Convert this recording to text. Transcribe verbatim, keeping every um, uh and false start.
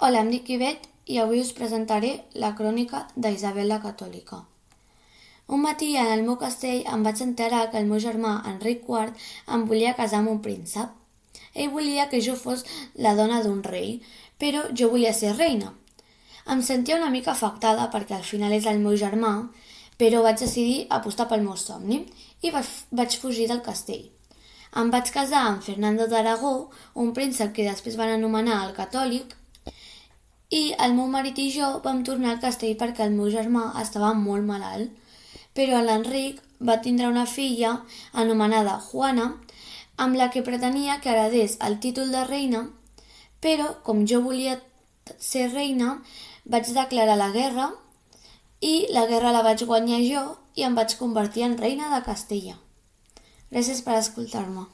Hola, em dic Ivet i avui us presentaré la crònica d'Isabel la Catòlica. Un matí en el meu castell em vaig enterar que el meu germà Enric quart em volia casar amb un príncep. Ell volia que jo fos la dona d'un rei, però jo volia ser reina. Em sentia una mica afectada perquè al final és el meu germà, però vaig decidir apostar pel meu somni i vaig fugir del castell. Em vaig casar amb Fernando d'Aragó, un príncep que després van anomenar el Catòlic, i el meu marit i jo vam tornar al castell perquè el meu germà estava molt malalt. Però l'Enric va tindre una filla anomenada Juana, amb la que pretenia que heredés el títol de reina, però com jo volia ser reina, vaig declarar la guerra i la guerra la vaig guanyar jo i em vaig convertir en reina de Castella. Gràcies per escoltar-me.